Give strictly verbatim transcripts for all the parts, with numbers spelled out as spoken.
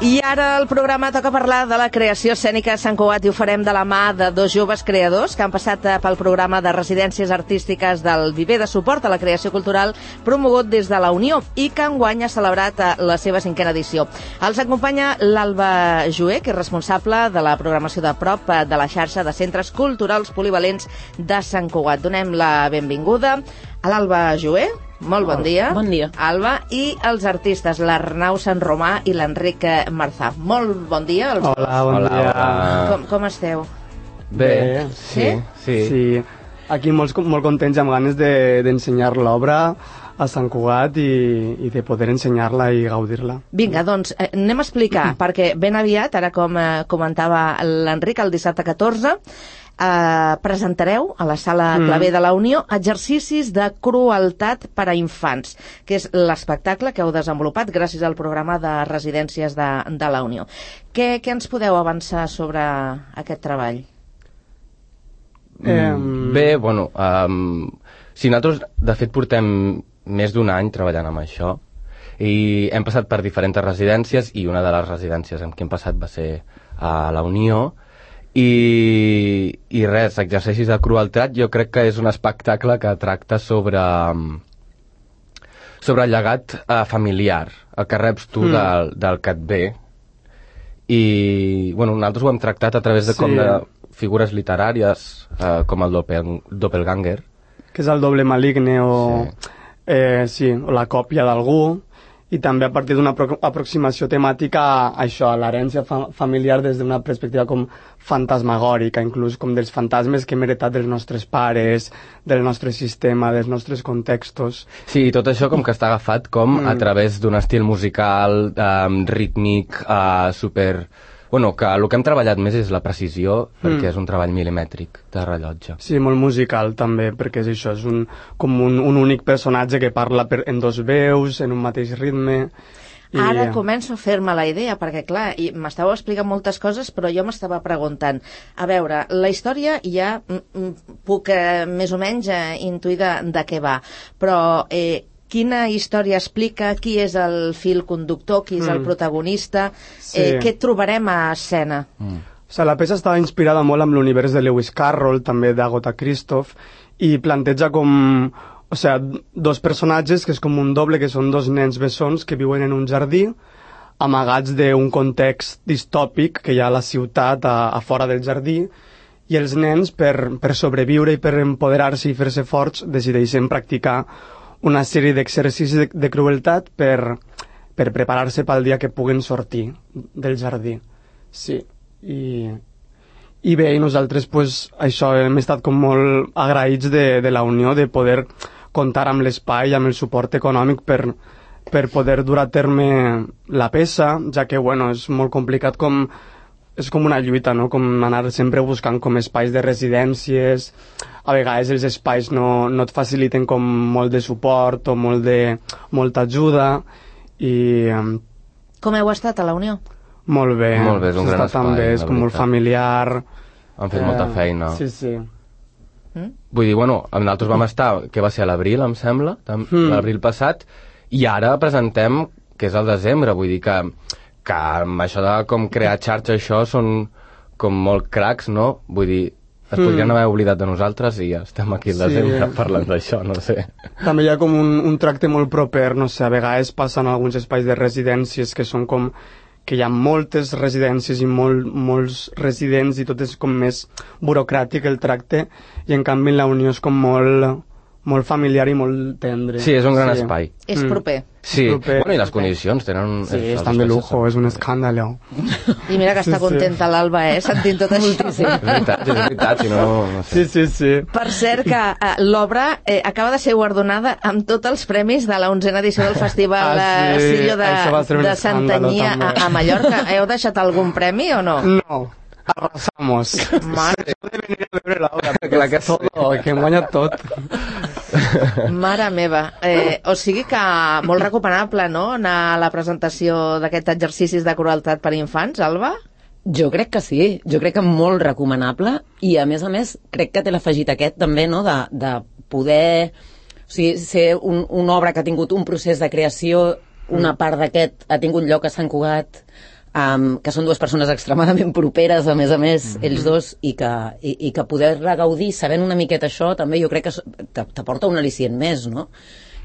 I ara el programa toca parlar de la creació escènica a Sant Cugat i ho farem de la mà de dos joves creadors que han passat pel programa de residències artístiques del Viver de Suport a la Creació Cultural promogut des de la Unió i que enguany ha celebrat la seva cinquena edició. Els acompanya l'Alba Joé, que és responsable de la programació de prop de la xarxa de centres culturals polivalents de Sant Cugat. Donem la benvinguda a l'Alba Joé. Molt bon dia. Bon dia. Alba, i els artistes, l'Arnau Sant Romà i l'Enric Marzà. Molt bon dia. Els... Hola, bon Hola, dia. hola. Com, com esteu? Bé, Bé. sí, sí. Sí, aquí molts, molt contents, amb ganes de- d'ensenyar de, l'obra a Sant Cugat i, i de poder ensenyar-la i gaudir-la. Vinga, doncs eh, anem a explicar, perquè ben aviat, ara com eh, comentava l'Enric, el dissabte catorze, eh, presentareu a la Sala Clavé de la Unió exercicis de crueltat per a infants, que és l'espectacle que heu desenvolupat gràcies al programa de residències de, de la Unió. Què, què ens podeu avançar sobre aquest treball? Mm, Bé, bueno, um, si nosaltres, de fet, portem més d'un any treballant amb això i hem passat per diferents residències i una de les residències amb què hem passat va ser a la Unió i, i res, exercicis de crueltat jo crec que és un espectacle que tracta sobre sobre el llegat eh, familiar, el que reps tu mm. del, del que et ve i bueno, nosaltres ho hem tractat a través de Sí. com de figures literàries eh, com el doppel, doppelganger. Que és el doble maligne o, Sí. eh, sí, o la còpia d'algú, i també a partir d'una apro aproximació temàtica a això, a l'herència fa familiar des d'una perspectiva com fantasmagòrica, inclús com dels fantasmes que hem heretat dels nostres pares, del nostre sistema, dels nostres contextos. Sí, i tot això com que està agafat com mm. a través d'un estil musical um, rítmic, uh, super... Bueno, que el que hem treballat més és la precisió, perquè Mm. és un treball milimètric de rellotge. Sí, molt musical també, perquè és això, és un, com un, un únic personatge que parla per, en dos veus, en un mateix ritme. I... Ara començo a fer-me la idea, perquè clar, i m'estàveu explicant moltes coses, però jo m'estava preguntant, a veure, la història ja mm, mm, puc eh, més o menys eh, intuir de, de què va, però eh, quina història explica, qui és el fil conductor, qui és mm. el protagonista, Sí. eh, què trobarem a escena? Mm. O sigui, la peça estava inspirada molt amb l'univers de Lewis Carroll, també d'Agatha Christoph, i planteja com, o sigui, dos personatges que és com un doble, que són dos nens bessons que viuen en un jardí, amagats d'un context distòpic que hi ha a la ciutat, a, a fora del jardí, i els nens, per, per sobreviure i per empoderar-se i fer-se forts, decideixen practicar una sèrie d'exercicis de, de crueltat per, per preparar-se pel dia que puguen sortir del jardí. Sí, i, i bé, i nosaltres pues, això hem estat com molt agraïts de, de la Unió, de poder comptar amb l'espai, amb el suport econòmic per, per poder dur a terme la peça, ja que bueno, és molt complicat com és com una lluita, no? Com anar sempre buscant com espais de residències. A vegades els espais no, no et faciliten com molt de suport o molt de, molta ajuda i um, Com heu estat a la Unió? molt bé. Molt bé, és un S'està gran tan espai, bé, és la com molt veritat. familiar. Han fet molta feina. Sí, sí. Mm? Vull dir, bueno, nosaltres vam estar, que va ser a l'abril, em sembla, tam- Mm. l'abril passat, i ara presentem, que és el desembre, vull dir que, que amb això de com crear xarxa, això són com molt cracs, no? Vull dir, es podrien haver oblidat de nosaltres i ja estem aquí al Sí. desembre parlant d'això, no sé. També hi ha com un, un tracte molt proper, no sé, a vegades passen alguns espais de residències que són com que hi ha moltes residències i molt, molts residents i tot és com més burocràtic el tracte, i en canvi en la Unió és com molt, molt familiar i molt tendre. Sí, és un gran Sí. espai. És Mm. proper. Sí, Proper. bueno, i les condicions tenen... Sí, els estan de espais lujo, estan- és un escàndalo. I mira que Sí, està sí. contenta l'Alba, eh, sentint tot això. És veritat, és veritat, si no... no sé. Sí, sí, sí. Per cert, que eh, l'obra eh, acaba de ser guardonada amb tots els premis de la onzena edició del Festival Ah, eh, sí, Sillo de, això va ser un de escàndalo, Santanyia a, també. a Mallorca. Heu deixat algun premi o no? No, arrasamos. Mare, de venir a veure l'obra, Clar que sí. todo, que hem guanyat tot. mare meva. Eh, o sigui que molt recomanable, no?, anar a la presentació d'aquests exercicis de crueltat per infants, Alba? Jo crec que sí, jo crec que molt recomanable, i a més a més crec que té l'afegit aquest també, no?, de, de poder, o sigui, ser un, una obra que ha tingut un procés de creació, una part d'aquest ha tingut lloc a Sant Cugat, Um, que són dues persones extremadament properes, a més a més, mm-hmm. ells dos, i que, i, i que poder-la gaudir sabent una miqueta això, també jo crec que t'aporta un al·licient més, no?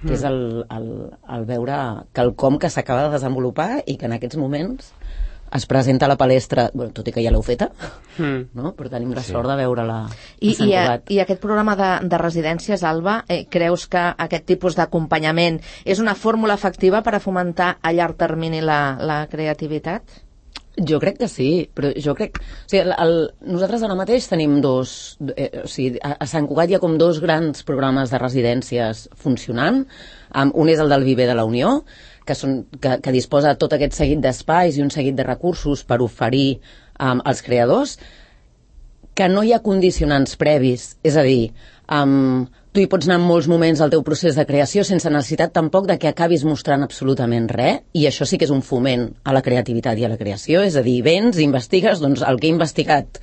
Mm. Que és el, el, el veure quelcom que s'acaba de desenvolupar i que en aquests moments es presenta a la palestra, bueno, tot i que ja l'heu feta, mm. no? Però tenim la sí. sort de veure-la a Sant Cugat. I, I aquest programa de, de residències, Alba, eh, creus que aquest tipus d'acompanyament és una fórmula efectiva per a fomentar a llarg termini la, la creativitat? Jo crec que sí, però jo crec... O sigui, el, el, nosaltres ara mateix tenim dos... Eh, o sigui, a, a Sant Cugat hi ha com dos grans programes de residències funcionant. Um, un és el del Viver de la Unió, que, són, que, que disposa de tot aquest seguit d'espais i un seguit de recursos per oferir um, als creadors, que no hi ha condicionants previs. És a dir, um, tu hi pots anar en molts moments al teu procés de creació sense necessitat tampoc de que acabis mostrant absolutament res, i això sí que és un foment a la creativitat i a la creació. És a dir, vens, investigues, doncs el que he investigat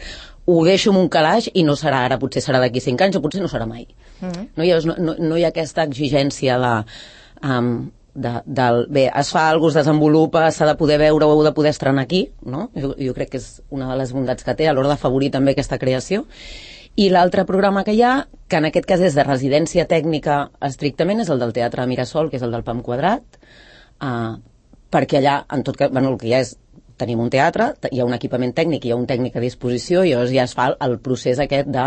ho deixo en un calaix i no serà ara, potser serà d'aquí cinc anys o potser no serà mai. Mm-hmm. no, hi ha, no, no hi ha aquesta exigència de... Um, De, del, bé, es fa alguna cosa, es desenvolupa, s'ha de poder veure o heu de poder estrenar aquí, no? Jo, jo crec que és una de les bondats que té a l'hora d'afavorir també aquesta creació. I l'altre programa que hi ha, que en aquest cas és de residència tècnica estrictament, és el del Teatre Mirasol, que és el del Pam Quadrat, uh, perquè allà, en tot cas, bueno, el que hi ha és tenim un teatre, hi ha un equipament tècnic, hi ha un tècnic a disposició, i llavors ja es fa el procés aquest de,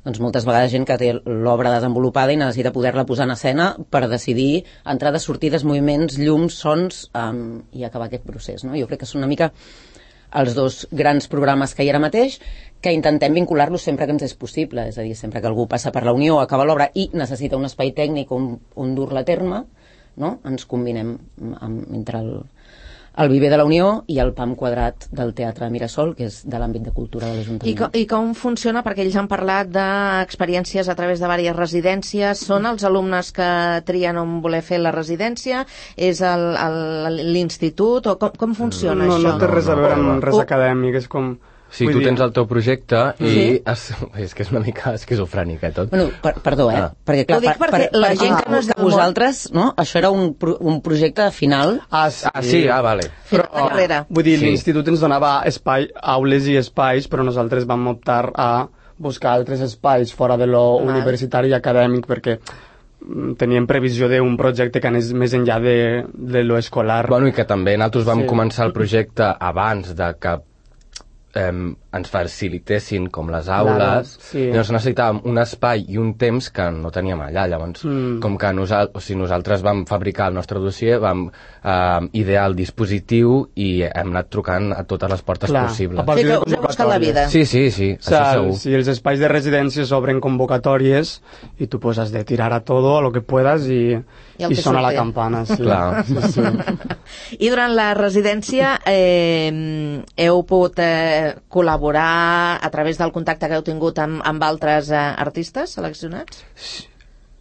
doncs moltes vegades gent que té l'obra desenvolupada i necessita poder-la posar en escena per decidir entrades, sortides, moviments, llums, sons, um, i acabar aquest procés, no? Jo crec que són una mica els dos grans programes que hi ha ara mateix, que intentem vincular-los sempre que ens és possible, és a dir, sempre que algú passa per la Unió, acaba l'obra i necessita un espai tècnic on, on dur-la a terme, no? Ens combinem amb, entre el el Viver de la Unió i el Pam Quadrat del Teatre Mirasol, que és de l'àmbit de cultura de l'Ajuntament. I, co I com funciona? Perquè ells han parlat d'experiències a través de diverses residències. Són els alumnes que trien on voler fer la residència? És l'institut? O com, com funciona no, això? No té res a veure amb res acadèmic, és com... Sí, tu tens el teu projecte i sí? es, és que és una mica esquizofrènic, eh, tot. Bueno, per, perdó, eh? Ah. Perquè, clar, Ho dic perquè per, la per, gent que no és del vosaltres, no? Això era un, un projecte final. Ah, sí, ah, sí? Ah, vale. Però, de carrera. Vull dir, Sí. l'institut ens donava espai, aules i espais, però nosaltres vam optar a buscar altres espais fora de lo Val. universitari i acadèmic, perquè mm, teníem previsió d'un projecte que anés més enllà de, de lo escolar. Bueno, i que també nosaltres vam Sí. començar el projecte abans de que eh, ens facilitessin com les aules, Claro, sí. i llavors necessitàvem un espai i un temps que no teníem allà. Llavors, Mm. com que nosal o sigui, nosaltres vam fabricar el nostre dossier, vam eh, idear el dispositiu i hem anat trucant a totes les portes Clar, possibles. a partir Sí, que de us heu buscat la vida. Sí, sí, sí, O sea, això segur. si els espais de residència s'obren convocatòries i tu pues has de tirar a todo, a lo que puedas y, I el y que sona la surti. campana. Sí. Clar. Sí, sí. I durant la residència eh, heu pogut eh, col·laborar a través del contacte que heu tingut amb, amb altres eh, artistes seleccionats?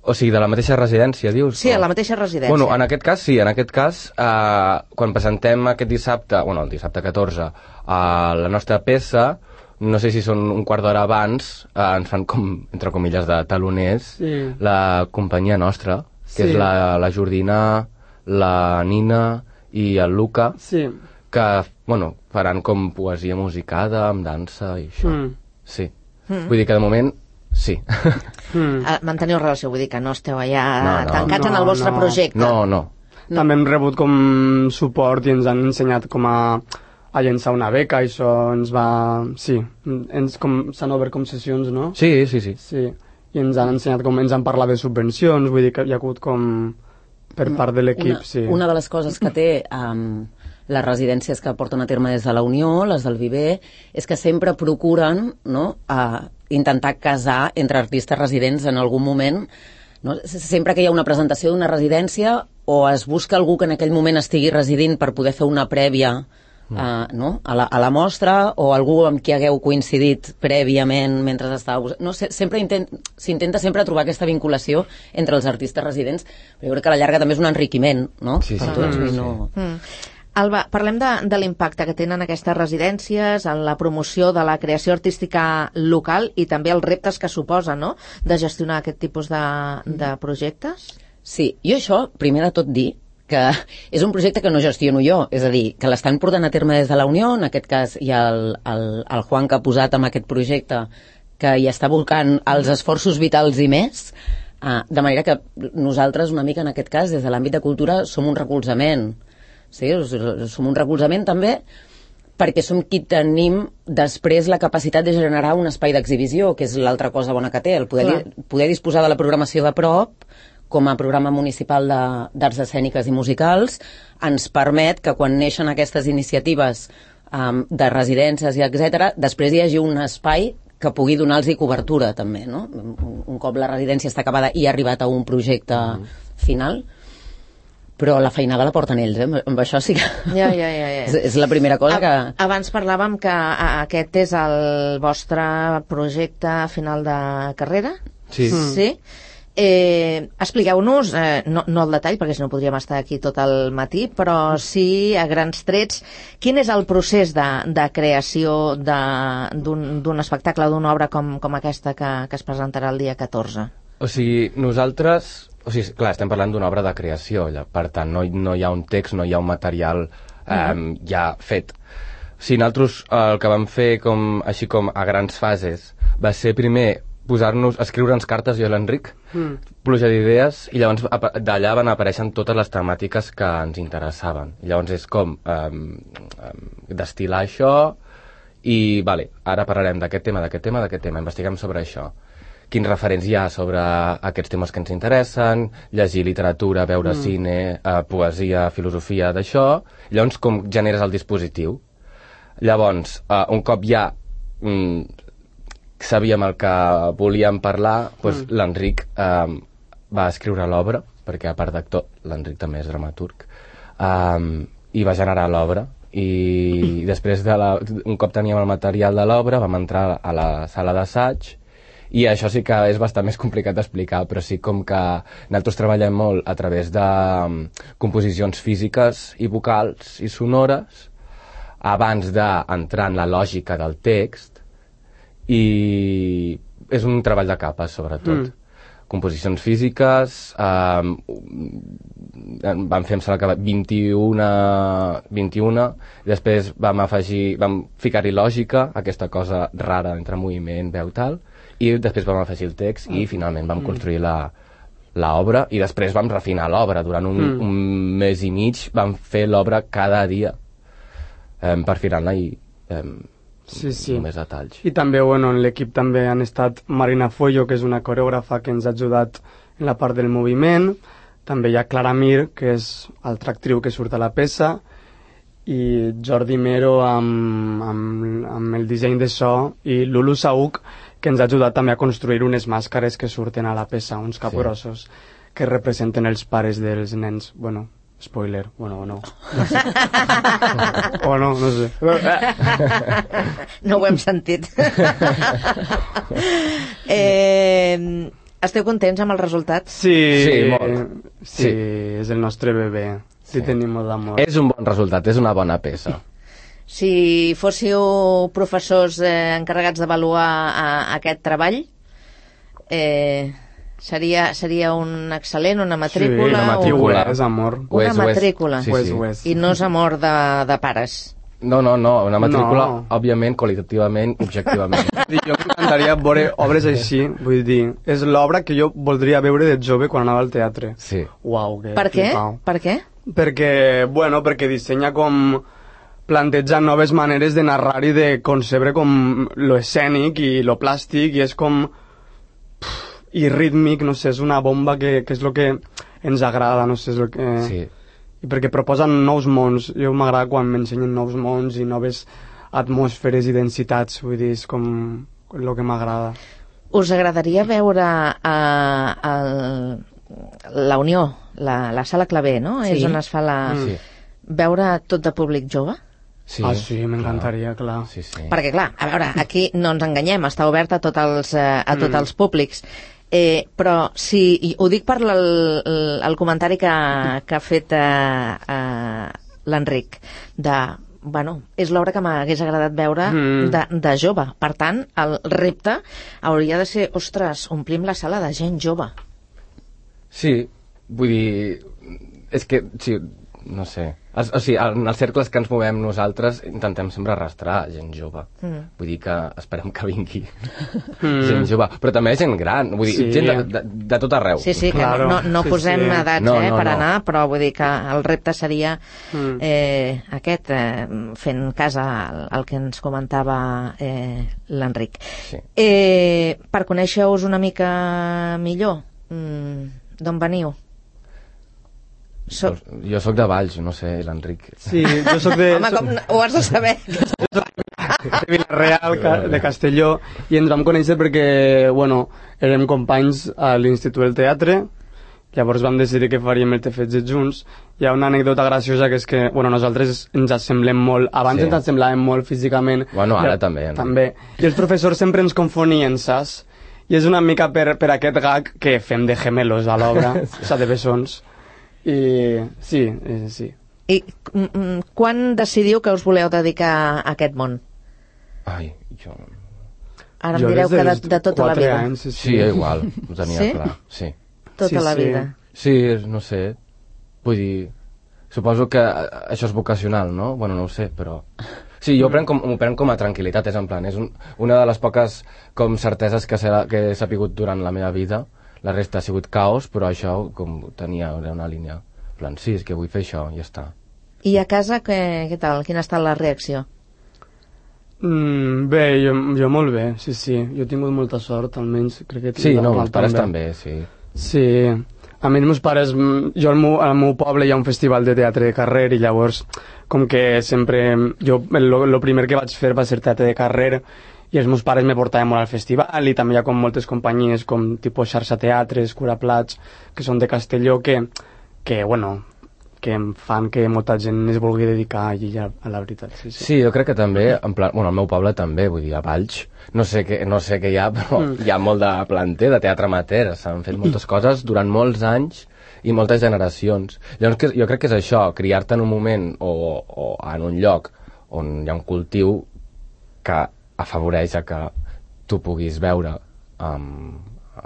O sigui, de la mateixa residència, dius? Sí, O- a la mateixa residència. Bueno, en aquest cas sí, en aquest cas, eh, quan presentem aquest dissabte, bueno, el dissabte catorze, eh, la nostra peça, no sé si són un quart d'hora abans, eh, ens fan com, entre comilles, de taloners, Sí. la companyia nostra, que Sí. és la, la Jordina, la Nina i el Luca, Sí. que, bueno, faran com poesia musicada, amb dansa i això. Mm. Sí. Mm. Vull dir que de moment, sí. Mm. Eh, manteniu relació, vull dir que no esteu allà No, no. tancats en No, el vostre no. projecte. No, no. També hem rebut com suport i ens han ensenyat com a, a llençar una beca, i això ens va... Sí, ens com s'han obert com sessions, no? Sí, sí, sí. Sí, i ens han ensenyat com ens han parlat de subvencions, vull dir que hi ha hagut com per part de l'equip, una, sí. una de les coses que té um, les residències que porten a terme des de la Unió, les del Viver, és que sempre procuren, no, a intentar casar entre artistes residents en algun moment, no? Sempre que hi ha una presentació d'una residència, o es busca algú que en aquell moment estigui residint per poder fer una prèvia Uh, no? a, la, a la mostra, o algú amb qui hagueu coincidit prèviament mentre estàveu... No, se, sempre intent, s'intenta sempre trobar aquesta vinculació entre els artistes residents, però jo crec que a la llarga també és un enriquiment, no? Sí, sí, per tots, sí, i sí. no... Mm. Alba, parlem de, de l'impacte que tenen aquestes residències en la promoció de la creació artística local i també els reptes que suposa, no?, de gestionar aquest tipus de, de projectes. Sí, jo això, primer de tot dir que és un projecte que no gestiono jo, és a dir, que l'estan portant a terme des de la Unió, en aquest cas hi ha el, el, el Juan que ha posat amb aquest projecte que hi està volcant els esforços vitals i més, uh, de manera que nosaltres una mica en aquest cas des de l'àmbit de cultura som un recolzament, sí? Som un recolzament també perquè som qui tenim després la capacitat de generar un espai d'exhibició, que és l'altra cosa bona que té, el poder, di poder disposar de la programació de prop com a programa municipal d'arts escèniques i musicals, ens permet que quan neixen aquestes iniciatives um, de residències i etcètera, després hi hagi un espai que pugui donar-los cobertura també, no? Un, un cop la residència està acabada i ha arribat a un projecte mm. final, però la feinada la porten ells, eh? Amb això sí que... Ja, ja, ja, ja. és, és la primera cosa que... Abans parlàvem que aquest és el vostre projecte final de carrera? Sí. Sí? Eh, expliqueu-nos, eh, no, no el detall perquè si no podríem estar aquí tot el matí, però sí a grans trets quin és el procés de, de creació d'un espectacle, d'una obra com, com aquesta que, que es presentarà el dia catorze. O sigui, nosaltres, o sigui, clar, estem parlant d'una obra de creació, per tant no, no hi ha un text, no hi ha un material eh, uh-huh. ja fet. O sigui, nosaltres el que vam fer com, així com a grans fases va ser primer posar-nos, escriure'ns cartes jo i l'Enric, mm. pluja d'idees, i llavors d'allà van apareixen totes les temàtiques que ens interessaven. I llavors és com um, um, destil·lar això i, vale, ara parlarem d'aquest tema, d'aquest tema, d'aquest tema, investiguem sobre això. Quins referents hi ha sobre aquests temes que ens interessen, llegir literatura, veure mm. cine, uh, poesia, filosofia, d'això. Llavors com generes el dispositiu. Llavors, uh, un cop ja mm, sabíem el que volíem parlar, doncs mm. l'Enric eh, va escriure l'obra, perquè a part d'actor, l'Enric també és dramaturg, eh, i va generar l'obra. I després, de la, un cop teníem el material de l'obra, vam entrar a la sala d'assaig, i això sí que és bastant més complicat d'explicar, però sí com que nosaltres treballem molt a través de um, composicions físiques i vocals i sonores, abans d'entrar en la lògica del text, i és un treball de capes sobretot mm. composicions físiques eh, vam fer em sembla que vint-i-una vint-i-una i després vam afegir vam ficar-hi lògica, aquesta cosa rara entre moviment, veu, tal, i després vam afegir el text i finalment vam mm. construir la l'obra i després vam refinar l'obra durant un, mm. un mes i mig vam fer l'obra cada dia eh, per finar-la i eh, sí, sí. només detalls. I també, bueno, en l'equip també han estat Marina Follo, que és una coreògrafa que ens ha ajudat en la part del moviment, també hi ha Clara Mir, que és altra actriu que surt a la peça, i Jordi Mero amb, amb, amb el disseny de so, i Lulu Saúc, que ens ha ajudat també a construir unes màscares que surten a la peça, uns capgrossos, sí. que representen els pares dels nens, bueno... Spoiler, bueno, o no. no sé. o no, no sé. No ho hem sentit. eh, esteu contents amb el resultat? Sí, sí, molt. Sí, sí, és el nostre bebè. Sí, sí tenim molt d'amor. És un bon resultat, és una bona peça. Si fóssiu professors eh, encarregats d'avaluar aquest treball, eh... Seria, seria un excel·lent, una matrícula... Sí, una matrícula, o... és amor. Una és, matrícula. Sí, sí. És, I no és amor de, de pares. No, no, no, una matrícula, no. òbviament, qualitativament, objectivament. Jo m'encantaria veure obres així, vull dir, és l'obra que jo voldria veure de jove quan anava al teatre. Sí. Uau, que per què? Flipau. Per què? Perquè, bueno, perquè dissenya com... planteja noves maneres de narrar i de concebre com lo escènic i lo plàstic, i és com... i rítmic, no sé, és una bomba que, que és el que ens agrada, no sé, és el que... Sí. I perquè proposen nous mons, jo m'agrada quan m'ensenyen nous mons i noves atmosferes i densitats, vull dir, és com el que m'agrada. Us agradaria veure uh, el, la Unió, la, la Sala Clavé, no? Sí. És on es fa la... Sí. Veure tot de públic jove? Sí, ah, sí, m'encantaria, clar. Sí, sí. Perquè, clar, a veure, aquí no ens enganyem, està obert a tots els, a tots mm. els públics. Eh, però si, ho dic per el, el comentari que, que ha fet eh, eh, l'Enric, de, bueno, és l'obra que m'hagués agradat veure mm. de, de jove. Per tant, el repte hauria de ser, ostres, omplim la sala de gent jove. Sí, vull dir, és que, sí, no sé. O, o sigui, en els cercles que ens movem nosaltres intentem sempre arrastrar gent jove. Mm. Vull dir que esperem que vingui mm. gent jove. Però també gent gran, vull dir, sí. gent de, de, de tot arreu. Sí, sí, que claro. no, no sí, posem sí. edats no, eh, no, per no. anar, però vull dir que el repte seria mm. eh, aquest, eh, fent casa al, al que ens comentava eh, l'Enric. Sí. Eh, per conèixer-vos una mica millor, mm, d'on veniu? Soc... Jo sóc de Valls, no sé, l'Enric. Sí, jo sóc de... Home, com ho has de saber? Jo soc de Vila-real, de Castelló, i ens vam conèixer perquè, bueno, érem companys a l'Institut del Teatre, llavors vam decidir que faríem el T F G junts. Hi ha una anècdota graciosa que és que, bueno, nosaltres ens assemblem molt, abans sí. ens assemblàvem molt físicament. Bueno, ara ja, també. No? També. I els professors sempre ens confonien, saps? I és una mica per, per aquest gag que fem de gemelos a l'obra, sí. o sigui, de bessons. I sí, eh, sí. I mm, quan decidiu que us voleu dedicar a aquest món? Ai, jo... Ara em jo direu que de, de tota la vida. Anys, sí, sí, igual, ho tenia sí? clar. Sí? Tota sí, la sí. vida. Sí, no sé, vull dir... Suposo que això és vocacional, no? Bueno, no ho sé, però... Sí, jo m'ho prenc, prenc com a tranquil·litat, és en plan, és un, una de les poques com certeses que, serà, que he sapigut durant la meva vida. La resta ha sigut caos, però això com tenia una línia. En plan, sí, és que vull fer això, i ja està. I a casa, què, què tal? Quina ha estat la reacció? Mm, bé, jo, jo molt bé, sí, sí. Jo he tingut molta sort, almenys crec que... Sí, no, els pares també, sí. Sí, a mi els meus pares... Jo al meu, al meu poble hi ha un festival de teatre de carrer i llavors, com que sempre... Jo, el primer que vaig fer va ser teatre de carrer i els meus pares me portaven molt al festival i també hi ha com moltes companyies com tipus Xarxa Teatres, Curaplats, que són de Castelló, que, que bueno, que em fan que molta gent es vulgui dedicar allí a, a la veritat. Sí, sí. sí, jo crec que també, en plan, bueno, al meu poble també, vull dir, a Valls, no sé què, no sé què hi ha, però mm. hi ha molt de planter, de teatre amateur, s'han fet moltes coses durant molts anys i moltes generacions. Llavors que, jo crec que és això, criar-te en un moment o, o en un lloc on hi ha un cultiu que afavoreix a que tu puguis veure um,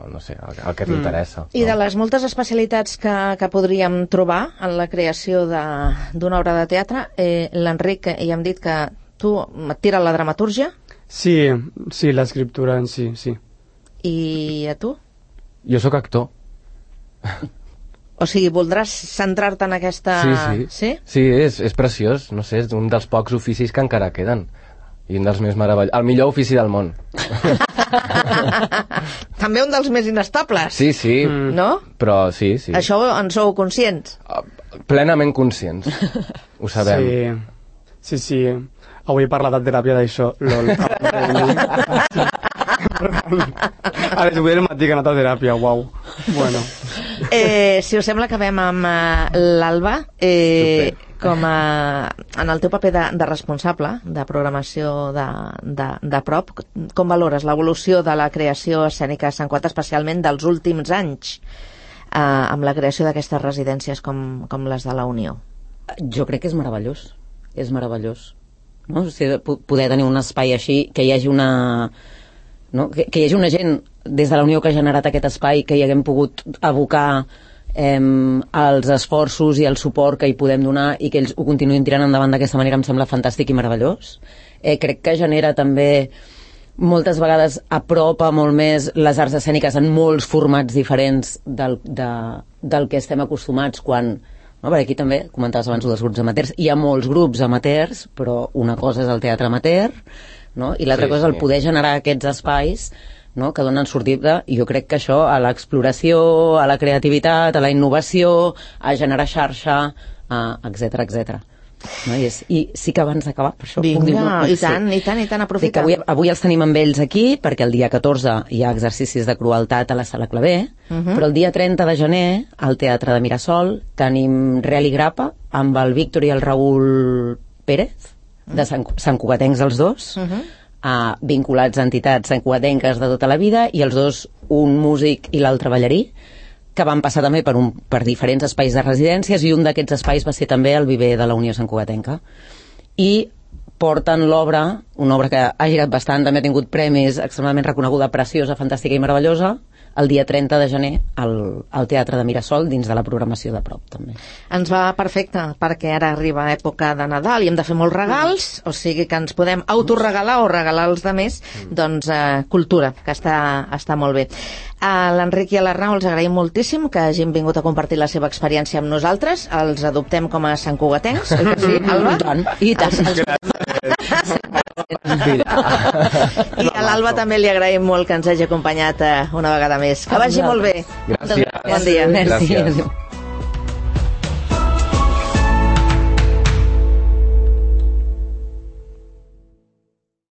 no sé, el, el que t'interessa. Mm. I no? De les moltes especialitats que, que podríem trobar en la creació d'una obra de teatre, eh, l'Enric, ja hem dit que tu et tira la dramatúrgia? Sí, sí, l'escriptura en si, sí. I a tu? Jo sóc actor. O sigui, voldràs centrar-te en aquesta... Sí, sí. Sí, sí és, és preciós, no sé, és un dels pocs oficis que encara queden. I un dels més meravellosos. El millor ofici del món. També un dels més inestables. Sí, sí. Mm. No? Però sí, sí. Això en sou conscients? Uh, plenament conscients. Ho sabem. Sí, sí, sí. Avui he parlat de teràpia d'això. Lol. A les vuit del matí que he anat a teràpia, uau. Bueno. Eh, si us sembla, acabem amb uh, l'Alba. Eh, com a, en el teu paper de, de responsable de programació de, de, de prop, com valores l'evolució de la creació escènica a Sant Cugat, especialment dels últims anys, eh, amb la creació d'aquestes residències com, com les de la Unió? Jo crec que és meravellós, és meravellós, no? O sigui, poder tenir un espai així, que hi hagi una... No? Que, que hi hagi una gent des de la Unió que ha generat aquest espai, que hi haguem pogut abocar eh, els esforços i el suport que hi podem donar i que ells ho continuïn tirant endavant d'aquesta manera, em sembla fantàstic i meravellós. Eh, crec que genera també moltes vegades apropa molt més les arts escèniques en molts formats diferents del, de, del que estem acostumats quan... No, perquè aquí també, comentaves abans dels grups amateurs, hi ha molts grups amateurs, però una cosa és el teatre amateur, no? I l'altra sí, cosa és el poder generar aquests espais, no? Que donen sortida, i jo crec que això a l'exploració, a la creativitat, a la innovació, a generar xarxa, etcètera, etcètera. No? I, és, I sí que abans d'acabar, per això Vinga, puc dir una cosa. I tant, i tant, i tant, aprofita. Avui, avui els tenim amb ells aquí, perquè el dia catorze hi ha exercicis de crueltat a la Sala Clavé, uh -huh. però el dia trenta de gener, al Teatre de Mirasol, tenim Real i Grapa, amb el Víctor i el Raül Pérez, de Sant, Sant Cugatencs els dos, uh -huh. uh, vinculats a entitats santcugatenques de tota la vida, i els dos, un músic i l'altre ballarí, que van passar també per, un, per diferents espais de residències, i un d'aquests espais va ser també el viver de la Unió Santcugatenca. I porten l'obra, una obra que ha girat bastant, també ha tingut premis, extremadament reconeguda, preciosa, fantàstica i meravellosa, el dia trenta de gener al, al Teatre de Mirasol, dins de la programació de prop, també. Ens va perfecte, perquè ara arriba època de Nadal i hem de fer molts regals, o sigui que ens podem autoregalar o regalar als demés, doncs eh, cultura, que està, està molt bé. A l'Enric i a l'Arnau els agraïm moltíssim que hagin vingut a compartir la seva experiència amb nosaltres, els adoptem com a santcugatencs, oi que sí, Alba? I tant, i tant. I a l'Alba també li agraïm molt que ens hagi acompanyat eh, una vegada més. Que vagi molt bé. Gràcies. Bon dia. Merci. Gràcies.